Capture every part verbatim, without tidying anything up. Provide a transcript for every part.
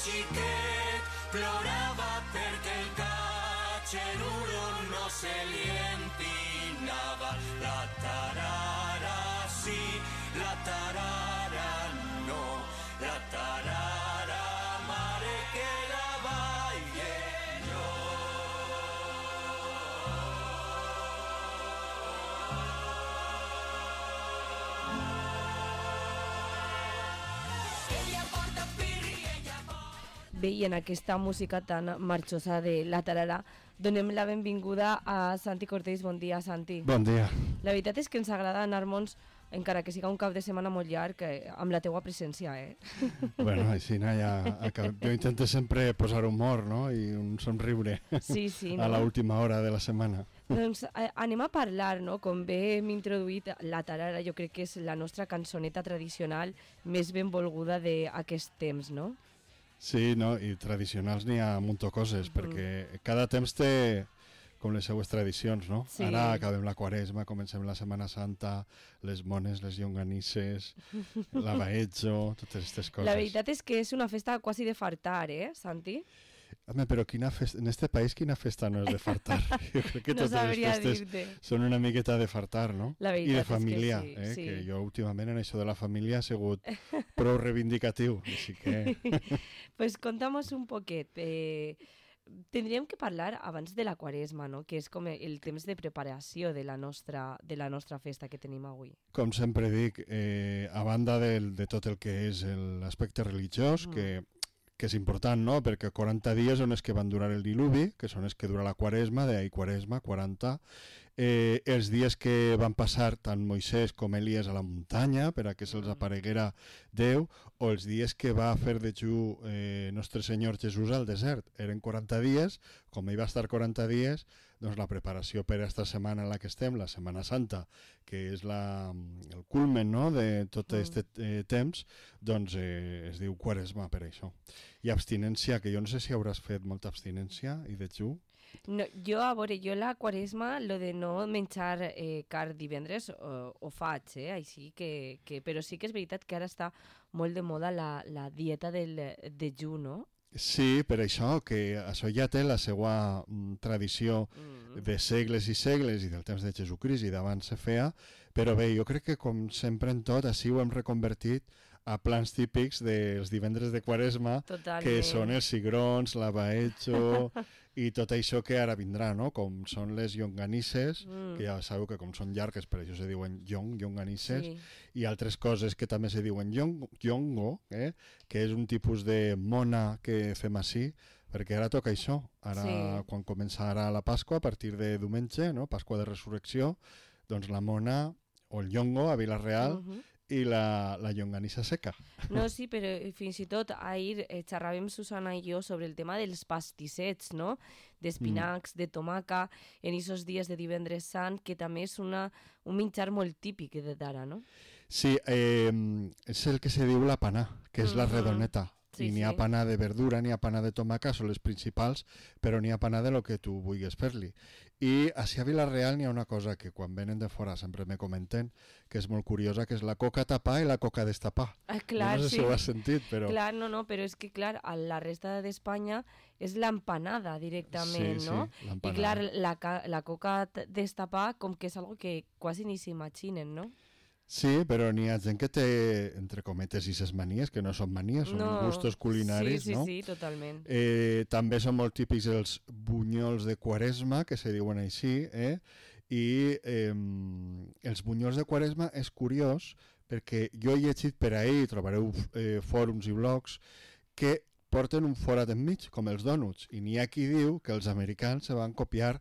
Xiquet plorava perquè el catxeruro no se li empinava. La tarara sí, la tarara no, la tarara mare que la baille jo. Ella porta pirri, ella porta... Bé, i en aquesta música tan marxosa de la tarara donem la benvinguda a Santi Cortés. Bon dia, Santi. Bon dia. La veritat és que ens agrada anar-nos, encara que siga un cap de setmana molt llarg, amb la teua presència, eh? Bueno, així no, ja acabem. Jo intento sempre posar humor, no?, i un somriure sí, sí, no? a l'última hora de la setmana. Doncs eh, anem a parlar, no?, com bé hem introduït, la tarara jo crec que és la nostra cançoneta tradicional més ben volguda d'aquest temps, no? Sí, no, i tradicionals n'hi ha un munt de coses, mm. perquè cada temps té com les seues tradicions, no? Sí. Ara acabem la Quaresma, comencem la Setmana Santa, les mones, les llonganisses, la baetxo, totes aquestes coses. La veritat és que és una festa quasi de fartar, eh, Santi? Home, però quina festa, en este país quina festa no és de fartar? Jo crec que no totes les festes dir-te. Són una miqueta de fartar, no? La I de família, és que sí, eh? sí. Que jo últimament en això de la família ha sigut prou reivindicatiu, així que... Pues contamos un poquet. Eh, tindríem que parlar abans de la Quaresma, no?, que és com el temps de preparació de la nostra, de la nostra festa que tenim avui. Com sempre dic, eh, a banda del, de tot el que és l'aspecte religiós, mm. que que és important, no?, perquè quaranta dies són els que van durar el diluvi, que són els que dura la Quaresma, d'ahir Quaresma, quaranta, eh, els dies que van passar tant Moisès com Elies a la muntanya, per a que se'ls apareguera Déu, o els dies que va fer de Jú eh, Nostre Senyor Jesús al desert. Eren quaranta dies, com ell va estar quaranta dies, doncs la preparació per a aquesta setmana en la que estem, la Setmana Santa, que és la, el culmen, no?, de tot aquest eh, temps, doncs eh, es diu Quaresma per això. I abstinència, que jo no sé si hauràs fet molta abstinència i de Jú. No, jo, a veure, jo la Quaresma, lo de no menjar eh, car divendres, ho, ho faig, eh, així que, que... Però sí que és veritat que ara està molt de moda la, la dieta del dejú, no? Sí, per això, que això ja té la seva mm, tradició mm. de segles i segles i del temps de Jesucrist i d'abans se feia, però bé, jo crec que com sempre en tot, així ho hem reconvertit a plans típics dels divendres de Quaresma, Totalment. Que són els cigrons, la baetxo i tot això que ara vindrà, no?, com són les llonganisses, mm. que ja sabeu que com són llargues, per això se diuen llong, llonganisses, sí. I altres coses que també se diuen llong, llongo, eh? Que és un tipus de mona que fem així, perquè ara toca això. Ara, sí. Quan comença ara la Pasqua, a partir de diumenge, no?, Pasqua de Resurrecció, doncs la mona o el llongo a Vila-real, uh-huh. i la, la llonganissa seca. No, sí, però fins i tot ahir eh, xerràvem Susana i jo sobre el tema dels pastissets, no?, d'espinacs, mm. de tomaca, en aquests dies de divendres sant, que també és una, un menjar molt típic d'ara, no? Sí, eh, és el que se diu la panà, que és mm-hmm. la redoneta. Sí, I n'hi ha sí. panà de verdura, n'hi ha panà de tomaca, són les principals, però n'hi ha panà de lo que tu vulguis fer-li. I així a Vila-real n'hi ha una cosa que quan venen de fora sempre me comenten, que és molt curiosa, que és la coca tapar i la coca destapar. Ah, clar, no sé sí. si ho has sentit, però... Clar, no, no, però és que, clar, a la resta d'Espanya és l'empanada directament, sí, no? Sí, l'empanada. I clar, la, la coca destapar com que és algo que quasi ni s'imaginen, no? Sí, però n'hi ha gent que té, entre cometes, i ses manies, que no són manies, són no. gustos culinaris, sí, sí, no? Sí, sí, totalment. Eh, també són molt típics els bunyols de Quaresma, que se diuen així, eh? I eh, els bunyols de Quaresma és curiós, perquè jo he llegit per ahí, trobareu eh, fòrums i blogs, que porten un forat enmig, com els dònuts, i n'hi ha qui diu que els americans se van copiar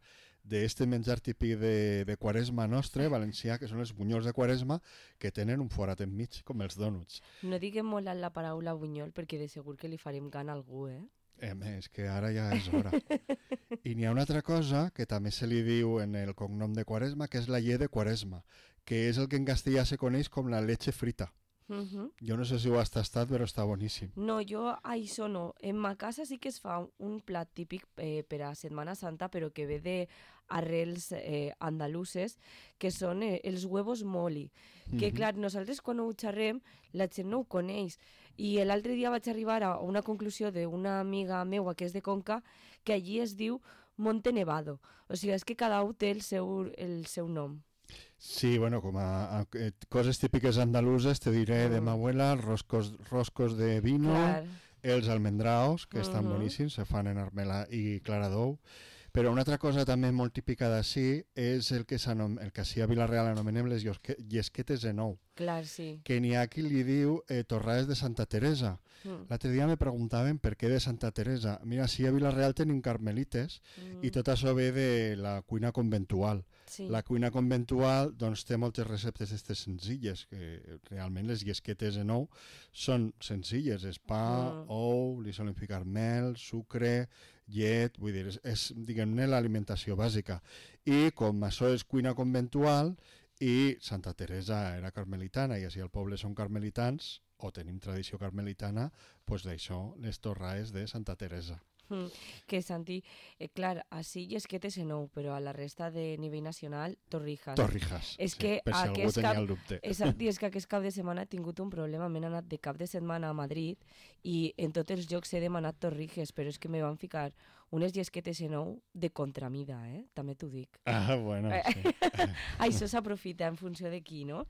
d'este menjar típic de, de Quaresma nostre, valencià, que són els bunyols de Quaresma, que tenen un forat enmig, com els dònuts. No diguem molt la paraula bunyol, perquè de segur que li farem gana a algú, eh? Eh, és que ara ja és hora. I n'hi ha una altra cosa que també se li diu en el cognom de Quaresma, que és la llet de Quaresma, que és el que en castellà se coneix com la leche frita. Uh-huh. Jo no sé si ho has tastat, però està boníssim. No, jo això no. En ma casa sí que es fa un plat típic eh, per a Setmana Santa, però que ve d'arrels eh, andaluses, que són eh, els huevos moli. Que, uh-huh. clar, nosaltres quan ho xerrem, la gent no ho coneix. I l'altre dia vaig arribar a una conclusió d'una amiga meua que és de Conca, que allí es diu Monte Nevado. O sigui, és que cada un té el seu, el seu nom. Sí, bueno, com a, a eh, coses típiques andaluses, te diré de Mm. mi abuela, roscos, roscos de vino, Clar. els almendraos, que estan Mhm. boníssims, se fan en armela i clara d'ou. Però una altra cosa també molt típica d'ací és el que, s'anom- el que ací a Vila-real anomenem les llosque- llesquetes en ou, Clar, sí. que n'hi ha qui li diu eh, torrades de Santa Teresa. Mm. L'altre dia me preguntaven per què de Santa Teresa. Mira, sí, a Vila-real tenim carmelites Mm. i tot això ve de la cuina conventual. Sí. La cuina conventual doncs, té moltes receptes aquestes senzilles, que realment les llesquetes en ou són senzilles. És pa, Mm. ou, li solen ficar mel, sucre, llet, vull dir, és, és diguem-ne, l'alimentació bàsica. I com això és cuina conventual i Santa Teresa era carmelitana i així al poble són carmelitans, o tenim tradició carmelitana, doncs d'això, les torrades de Santa Teresa. Mm. Que Santi, eh, clar, així llesquetes en ou, però a la resta de nivell nacional, torrijas. Torrijas, És sí, que per si algú aquest tenia cap- el dubte. És, i és que aquest cap de setmana he tingut un problema, m'he anat de cap de setmana a Madrid i en tots els llocs he demanat torrijas, però és que me van ficar unes llesquetes en ou de contramida, eh? També t'ho dic. Ah, bueno, sí. Això s'aprofita en funció de qui, no?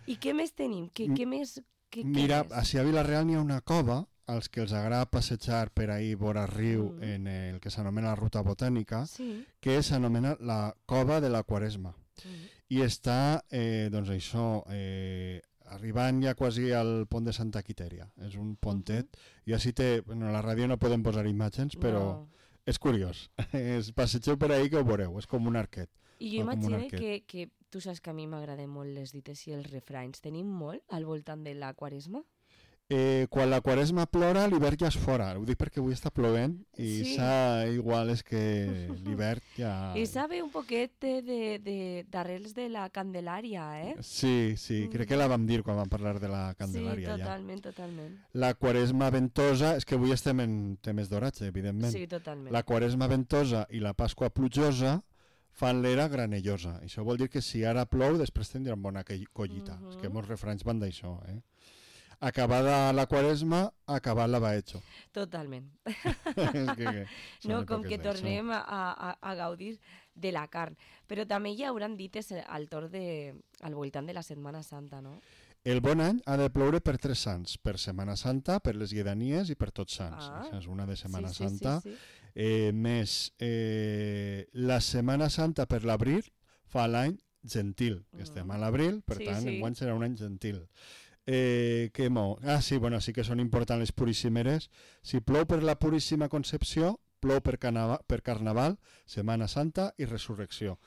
I què més tenim? Què, M- què més? Què, Mira, què més? així a Vila-real n'hi ha una cova, als que els agrada passejar per ahir vora riu Mm. en el que s'anomena la ruta botànica, Sí. que s'anomena la cova de la Quaresma. Mm. I està, eh, doncs això, eh, arribant ja quasi al pont de Santa Quitèria. És un pontet. I així té, bueno, a la ràdio no podem posar imatges, però No. és curiós. Es passegeu per ahir que ho veureu, és com un arquet. I jo Va com un imagino arquet. que, que tu saps que a mi m'agraden molt les dites i els refranys. Tenim molt al voltant de la Quaresma? Eh, quan la Quaresma plora, l'hivern ja és fora. Ho dic perquè avui està plovent i Sí. sa igual és que l'hivern ja... I sabe un poquet de, de, de, d'arrels de la Candelària, eh? Sí, sí, crec que la vam dir quan vam parlar de la Candelària. Sí, ja. totalment, totalment. La Quaresma ventosa, és que avui estem en temes d'oratge, evidentment. Sí, totalment. La Quaresma ventosa i la Pasqua plujosa fan l'era granellosa. Això vol dir que si ara plou, després tindrem bona que- collita. Mhm. És que molts refranys van d'això, eh? Acabada la Quaresma, acabat la baetxo. Totalment. És que, són No, com èpoques que d'això. tornem a, a, a gaudir de la carn. Però també hi hauran dites al torn de, al voltant de la Setmana Santa, no? El bon any ha de ploure per tres sants, per Setmana Santa, per les lledanies i per tots sants. Ah. Això és una de Setmana sí, sí, Santa. Sí, sí. Eh, més, eh, la Setmana Santa per l'abril fa l'any gentil. Mm. Estem a l'abril, per Sí, tant, sí. enguany serà un any gentil. Eh, què mo? Ah, sí, bueno, sí que són importants les puríssimeres. Si plou per la Puríssima Concepció, plou per, canava, per Carnaval, Setmana Santa i Resurrecció.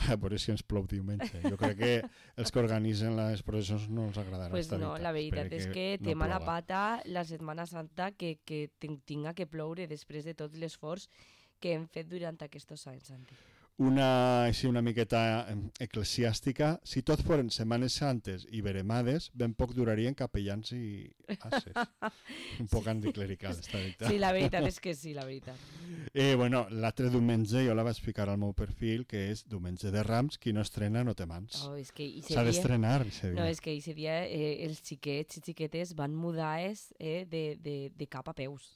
A veure si ens plou diumenge. Jo crec que els que organitzen les processons no els agradarà. Pues esta no, la veritat Espere és que no té mala plova. pata la Setmana Santa que, que ten- tinga que ploure després de tot l'esforç que hem fet durant aquests anys, Santi. Una, així una miqueta em, eclesiàstica, si tot foren setmanes santes i veremades, ben poc durarien capellans i ases. Un poc anticlerical, està dit. Sí, la veritat és que sí, la veritat. Eh, bueno, l'altre diumenge jo la vaig ficar al meu perfil, que és diumenge de Rams, qui no estrena no té mans. Oh, és que ese S'ha dia... d'estrenar, ese dia. No, és que ese dia eh, els xiquets i xiquetes van mudar-es eh, de, de, de cap a peus.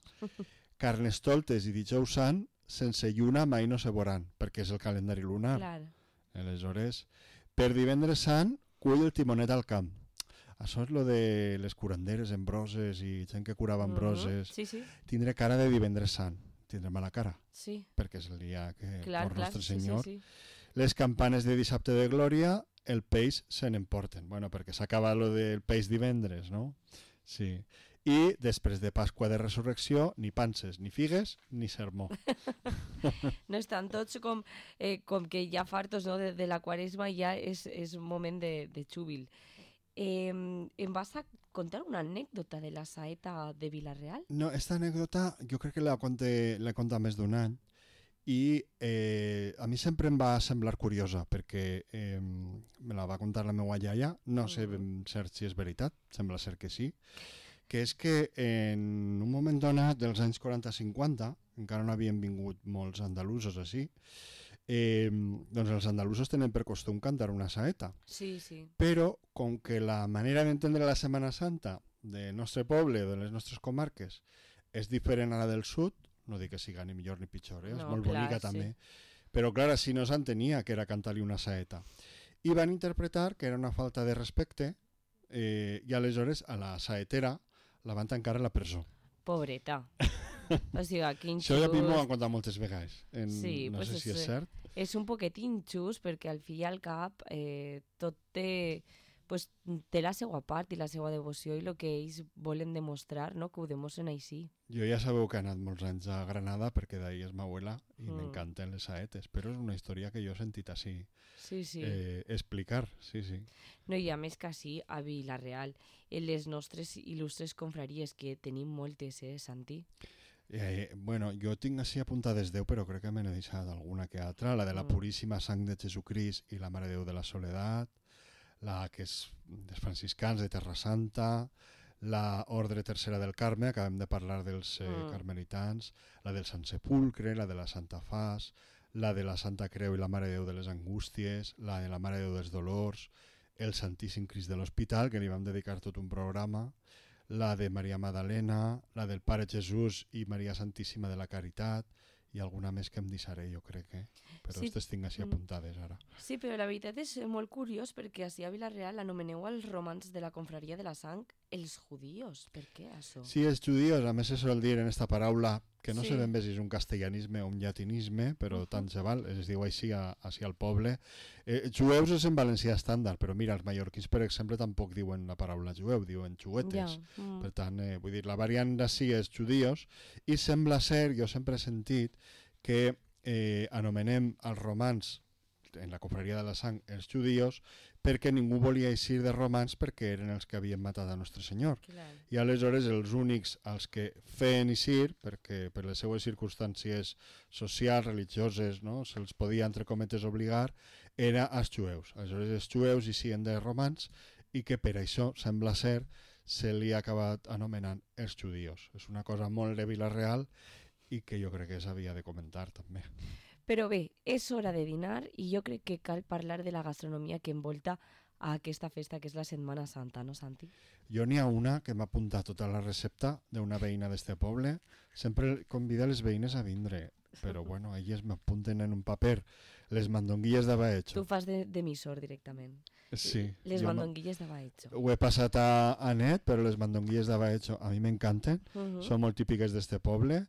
Carnestoltes i dijous sant, sense lluna mai no se veuran, perquè és el calendari lunar. Clar. Aleshores, per divendres sant, cull el timonet al camp. Això és lo de les curanderes en broses i gent que curava en Mhm. broses. Sí, sí, Tindré cara de divendres sant, tindré mala cara, sí. perquè és el dia que Clar, por clar, Nostre sí, Senyor. sí, sí. Les campanes de dissabte de glòria, el peix se n'emporten. Bueno, perquè s'acaba lo del peix divendres, no? Sí. I després de Pasqua de Resurrecció, ni panses, ni figues, ni sermó. No estan tots com, eh, com que ja fartos, no? de, de la Quaresma, ja és, és un moment de, de júbil. Eh, em vas a contar una anècdota de la saeta de Vila-real? No, esta anècdota jo crec que la conté, la conta més d'un any i eh, a mi sempre em va semblar curiosa perquè eh, me la va contar la meva iaia, no sé ben cert si és veritat, sembla ser que sí, que és que en un moment donat dels anys quaranta cinquanta, encara no havien vingut molts andalusos així, eh, doncs els andalusos tenen per costum cantar una saeta. Sí, sí. Però, com que la manera d'entendre la Setmana Santa del nostre poble, de les nostres comarques, és diferent a la del sud, no dic que siga ni millor ni pitjor, eh? És No, molt clar, bonica sí. també, però clar, així no s'entenia que era cantar-li una saeta. I van interpretar que era una falta de respecte eh, i aleshores a la saetera la van tancar a la presó. Pobreta. O sigui, quin Això ja m'ho han xust. contat moltes vegades. En, Sí, no pues sé si és, és cert. És un poquet injust perquè al fi i al cap eh, tot té, pues, té la seva part i la seva devoció i el que ells volen demostrar, no? Que ho demostren així. Jo ja sabeu que he anat molts anys a Granada perquè d'ahir és ma abuela i Mm. m'encanten les saetes, però és una història que jo he sentit així Sí, sí. eh, explicar, sí, sí. No, i a més que així, a Vila-real, en les nostres il·lustres confraries, que tenim moltes, eh, Santi? Eh, bueno, jo tinc així apuntades deu, però crec que me n'he deixat alguna que altra. La de la Mm. Puríssima Sang de Jesucrist i la Mare de Déu de la Soledat, la que és dels franciscans de Terra Santa, la Ordre Tercera del Carme, acabem de parlar dels eh, Mm. carmelitans, la del Sant Sepulcre, la de la Santa Fas, la de la Santa Creu i la Mare de Déu de les Angústies, la de la Mare de Déu dels Dolors, el Santíssim Crist de l'Hospital, que li vam dedicar tot un programa, la de Maria Magdalena, la del Pare Jesús i Maria Santíssima de la Caritat, i alguna més que em deixaré, jo crec, eh? Però Sí. aquestes tinc així Mm. apuntades ara. Sí, però la veritat és molt curiós perquè així a Vila-real anomeneu als romans de la confraria de la sang els judíos. Per què això? Sí, els judíos, a més se sol dir en esta paraula, que no Sí. sé ben bé si és un castellanisme o un llatinisme, però Uh-huh. tant se val, es diu així, a, així al poble. Eh, jueus és en valencià estàndard, però mira, els mallorquins, per exemple, tampoc diuen la paraula jueu, diuen xuetes. Ja. Mm. Per tant, eh, vull dir, la variant d'ací és judíos, i sembla ser, jo sempre he sentit, que eh, anomenem els romans en la confraria de la sang els judíos perquè ningú volia eixir de romans perquè eren els que havien matat a Nostre Senyor. Clar. I aleshores els únics als que feien eixir, perquè per les seues circumstàncies socials, religioses, no, se'ls podia, entre cometes, obligar, era als jueus. Aleshores els jueus eixien de romans i que per això, sembla ser, se li ha acabat anomenant els judíos. És una cosa molt de Vila-real i que jo crec que s'havia de comentar també. Però bé, és hora de dinar i jo crec que cal parlar de la gastronomia que envolta a aquesta festa que és la Setmana Santa, no, Santi? Jo n'hi ha una que m'ha apuntat tota la recepta d'una veïna d'este poble. Sempre convida les veïnes a vindre, però bueno, elles m'apunten en un paper les mandonguilles de Tu Baecho. fas de- d'emissor directament. Sí, Les jo no- mandonguilles de Baecho. ho he passat a, a net, però les mandonguilles de Baecho a mi m'encanten. Uh -huh. Són molt típiques d'este poble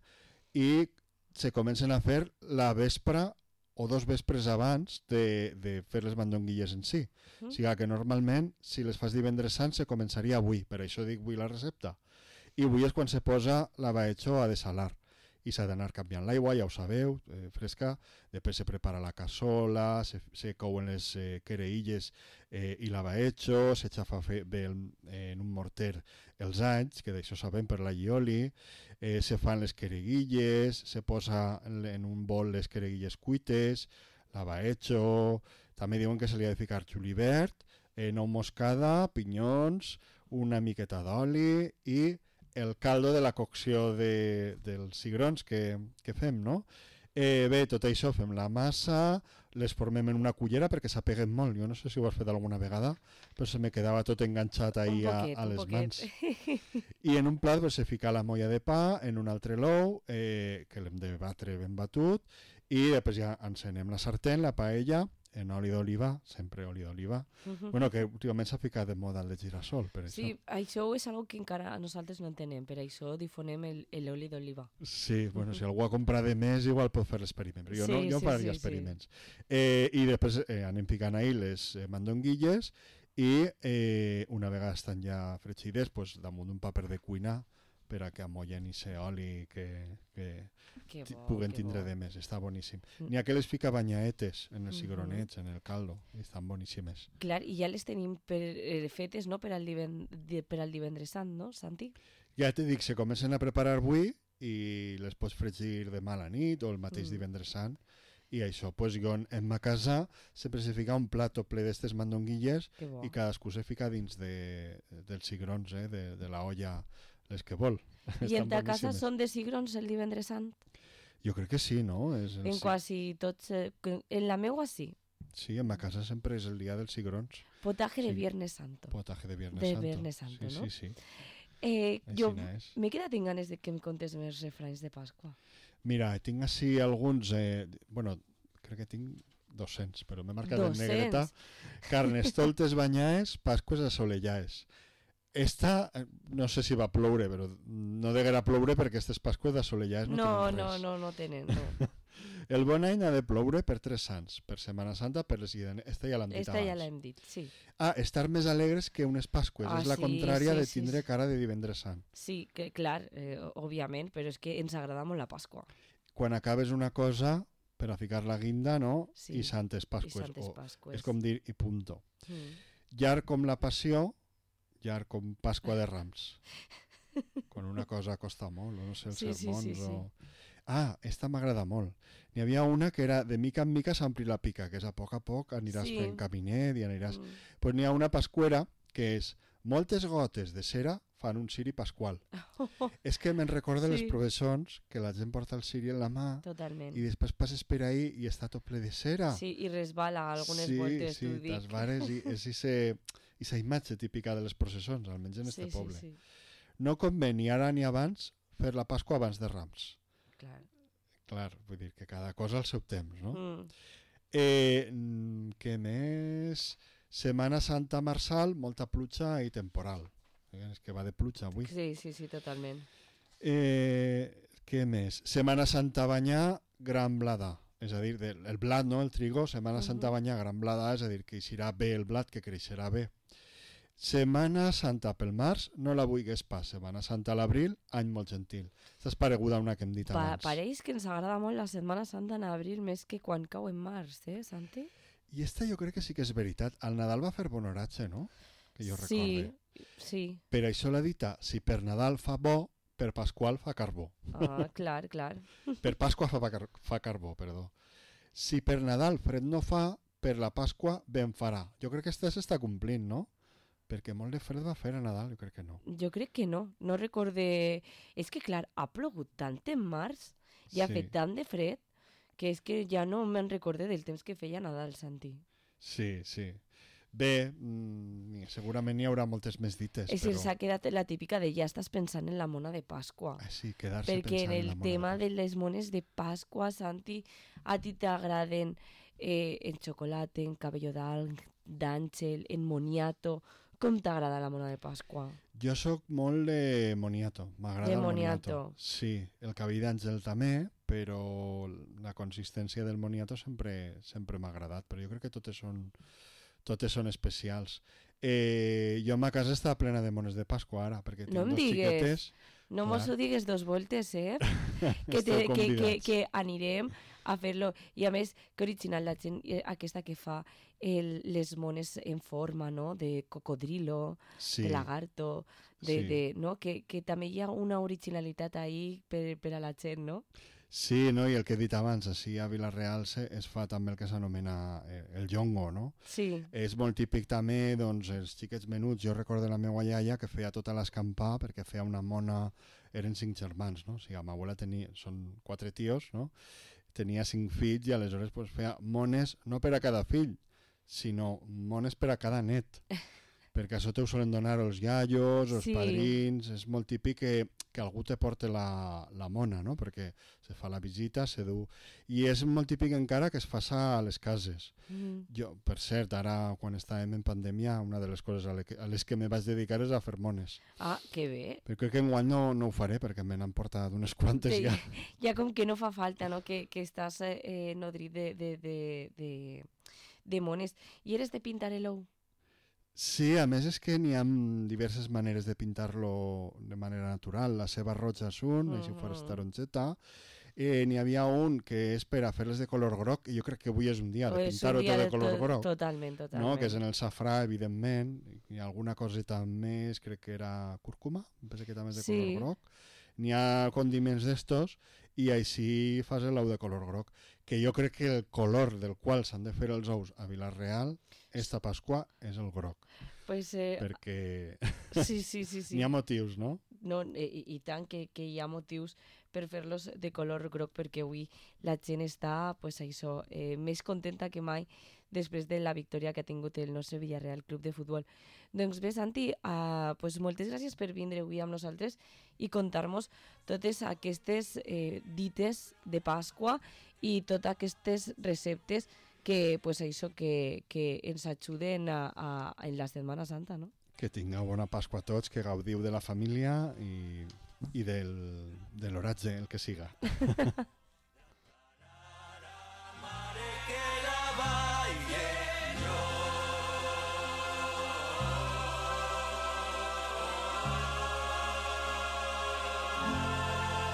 i se comencen a fer la vespra o dos vespres abans de, de fer les mandonguilles en si. Mm. O sigui que normalment, si les fas divendres sant, se començaria avui, per això dic avui la recepta. I avui és quan se posa la Baecho a desalar. I s'ha d'anar canviant l'aigua, ja ho sabeu, eh, fresca. Després se prepara la cassola, se, se couen les eh, quereilles eh, i la Baecho, se xafa fe, bé el, eh, en un morter els anys, que d'això sabem per la llioli, eh, se fan les quereguilles, se posa en, en un bol les quereguilles cuites, la Baecho, també diuen que se li ha de ficar julivert, eh, nou moscada, pinyons, una miqueta d'oli i el caldo de la cocció de, dels cigrons que, que fem, no? Eh, bé, tot això fem la massa, les formem en una cullera perquè s'apeguen molt. Jo no sé si ho has fet alguna vegada, però se me quedava tot enganxat ahí un a, poquet, a un les poquet. mans. I en un plat pues, se fica la molla de pa, en un altre l'ou, eh, que l'hem de batre ben batut, i després ja encenem la sartén, la paella, en oli d'oliva, sempre oli d'oliva. Mhm. Bueno, que últimament s'ha ficat de moda el de girassol, per això. Sí, això és algo que encara nosaltres no entenem, per això difonem el- l'oli d'oliva. Sí, bueno, si algú ha comprat de més, igual pot fer l'experiment, però jo no, Sí, jo sí, faria sí, experiments. Eh, I després eh, anem picant ahí les eh, mandonguilles i eh, una vegada estan ja fregides, pues, damunt d'un paper de cuina per a que amollen i se oli que, que Que ti- bo, puguen que tindre bo. de més, està boníssim. Mm. N'hi ha que les fica banyaetes en els Mhm. cigronets, en el caldo, i estan boníssimes. Clar, i ja les tenim per, eh, fetes, no?, per al, diven, di- per al divendres sant, no, Santi? Ja te dic, se comencen a preparar avui i les pots fregir demà a la nit o el mateix Mm. divendres sant. I això, pues, jo en, en ma casa sempre se fica un plato ple d'estes mandonguilles Que bo. i cadascú se fica dins de, dels cigrons, eh, de, de la olla, les que vol. I en Estan ta casa boníssimes. són de cigrons el divendres sant? Jo crec que sí, no? És el En ci- quasi tots... eh, que- En la meua sí. Sí, en ma casa sempre és el dia dels cigrons. Potaje de Sí. Viernes Santo. Potaje de Viernes De Santo. Viernes Santo, sí, no? Sí, sí. Eh, Així jo és. m'he quedat amb ganes de que em contes més refranys de Pasqua. Mira, tinc així alguns... Eh, bueno, crec que tinc dos-cents, però m'he marcat en negreta. dos-cents? Carnestoltes banyaes, pasques assolellades. Esta, eh, no sé si va ploure, però no deguera ploure perquè aquestes pasques assolellades no, No, tenen no, res. no, no tenen, no. El bon any ha de ploure per tres sants, per Setmana Santa, per les Idanes. Esta ja l'hem dit Esta ja abans. l'hem dit, sí. Ah, estar més alegres que unes pasques. Ah, és la sí, contrària sí, de sí, tindre sí. cara de divendres sant. Sí, que clar, eh, òbviament, però és que ens agrada molt la Pasqua. Quan acabes una cosa, per a ficar la guinda, no? Sí, I santes pasques. I Santes o Pasques. és com dir i punto. Mm. Llarg com la passió, llarg com Pasqua de Rams. Quan una cosa costa molt, no sé, els Sí, sí, sermons sí, sí. o... Ah, esta m'agrada molt. N'hi havia una que era de mica en mica s'ampli la pica, que és a poc a poc aniràs Sí. fent caminet i aniràs... Mm. Pues n'hi ha una pascuera que és moltes gotes de cera fan un ciri pasqual. És que me'n recorda Sí. les processons que la gent porta el ciri en la mà Totalment. i després passes per ahí i està tot ple de cera. Sí, i resbala algunes sí, voltes, sí, t'ho dic. tas vares i és ise, issa imatge típica de les processons, almenys en este sí, poble. sí, sí, No convé ni ara ni abans fer la Pasqua abans de Rams. clar. Clar, vull dir que cada cosa al seu temps, no? Mm. Eh, mm, què més? Setmana Santa Marsal, molta pluja i temporal. Eh, És que va de pluja avui. Sí, sí, sí, totalment. Eh, què més? Setmana Santa Banyà, gran bladà. És a dir, del, el blat, no? El trigo, Setmana Mhm. Santa Banyà, gran bladà, és a dir, que eixirà bé el blat, que creixerà bé. Setmana Santa pel març, no la vulguis pas. Setmana Santa a l'abril, any molt gentil. Aquesta és pareguda a una que hem dit Pa abans. pareix que ens agrada molt la Setmana Santa en abril més que quan cau en març, eh, Santi? I esta jo crec que sí que és veritat. Al Nadal va fer bon oratge, no? Que jo sí, recorde. sí. Per això l'ha dita, si per Nadal fa bo, per Pasqual fa carbó. Ah, clar, clar. Per Pasqua fa, car fa carbó, perdó. Si per Nadal fred no fa, per la Pasqua ben farà. Jo crec que aquesta s'està complint, no? Perquè molt de fred va fer a Nadal, jo crec que no. Jo crec que no, no recorde... És que, clar, ha plogut tant en març i ha Sí. fet tant de fred que és que ja no me'n recorde del temps que feia Nadal, Santi. Sí, sí. Bé, mm, segurament hi haurà moltes més dites, És que però... s'ha quedat la típica de ja estàs pensant en la mona de Pasqua. Ah, sí, quedar-se Perquè en pensant en el la mona tema de de les mones de Pasqua, Santi, a ti t'agraden eh, en xocolata, en cabello d'àngel, en moniato. Com t'agrada la mona de Pasqua? Jo sóc molt de moniato, m'agrada De el moniato. moniato. Sí, el cabell d'àngel també, però la consistència del moniato sempre sempre m'ha agradat, però jo crec que totes són, totes són especials. Eh, jo a ma casa està plena de mones de Pasqua ara, perquè tinc No em dos digues. xiquetes. No Clar. mos ho digues dos voltes, eh? que, Esteu te, que, que, convidats. que anirem a fer-lo. I a més, que original la gent eh, aquesta que fa el, les mones en forma, no?, de cocodrilo, Sí, de lagarto, de, sí. de, no? Que, que també hi ha una originalitat ahí per, per a la gent, no? sí, no? I el que he dit abans, així a Vila-real se, es fa també el que s'anomena eh, el jongo, no? Sí, És molt típic també, doncs, els xiquets menuts. Jo recordo la meva iaia que feia tota l'escampar perquè feia una mona... Eren cinc germans, no? O sigui, la meva abuela tenia... Són quatre tios, no? Tenia cinc fills i aleshores pues, feia mones no per a cada fill, sinó mones per a cada net. Perquè això te ho solen donar els iaios, els Sí. padrins... És molt típic que, que algú te porte la, la mona, no? Perquè se fa la visita, se du... I és molt típic encara que es faça a les cases. mm. Jo, per cert, ara quan estàvem en pandèmia, una de les coses a, le que, a les que me vaig dedicar és a fer mones. Ah, que bé. Però crec que enguany no, no ho faré perquè me n'han portat unes quantes Sí, ja. ja com que no fa falta, no?, que, que estàs eh, eh, nodrit de, de, de, de, de mones. I eres de pintar el ou? Sí, a més és que n'hi ha diverses maneres de pintar-lo de manera natural. La ceba roja és un, mm -hmm. així fos taronjeta. Eh, n'hi havia un que és per a fer-les de color groc i jo crec que avui és un dia de És un pintar-ho dia tot de color to- groc. Totalment, totalment. No? Que és en el safrà, evidentment, i alguna coseta més, crec que era cúrcuma, em penso que també és de Sí. color groc. N'hi ha condiments d'estos i així fas l'ou de color groc, que jo crec que el color del qual s'han de fer els ous a Vila-real esta Pasqua és el groc, Pues, eh, perquè sí, sí, sí, sí. n'hi ha motius, no? No, i, i tant que, que hi ha motius per fer-los de color groc, perquè avui la gent està, pues, això, eh, més contenta que mai després de la victòria que ha tingut el nostre Villarreal Club de Futbol. Doncs bé, Santi, uh, pues moltes gràcies per vindre avui amb nosaltres i contar-nos totes aquestes eh, dites de Pasqua i totes aquestes receptes que, pues, això, que, que ens ajuden a, a, en la Setmana Santa, no? Que tingueu bona Pasqua a tots, que gaudiu de la família i, i del, de l'oratge, el que siga.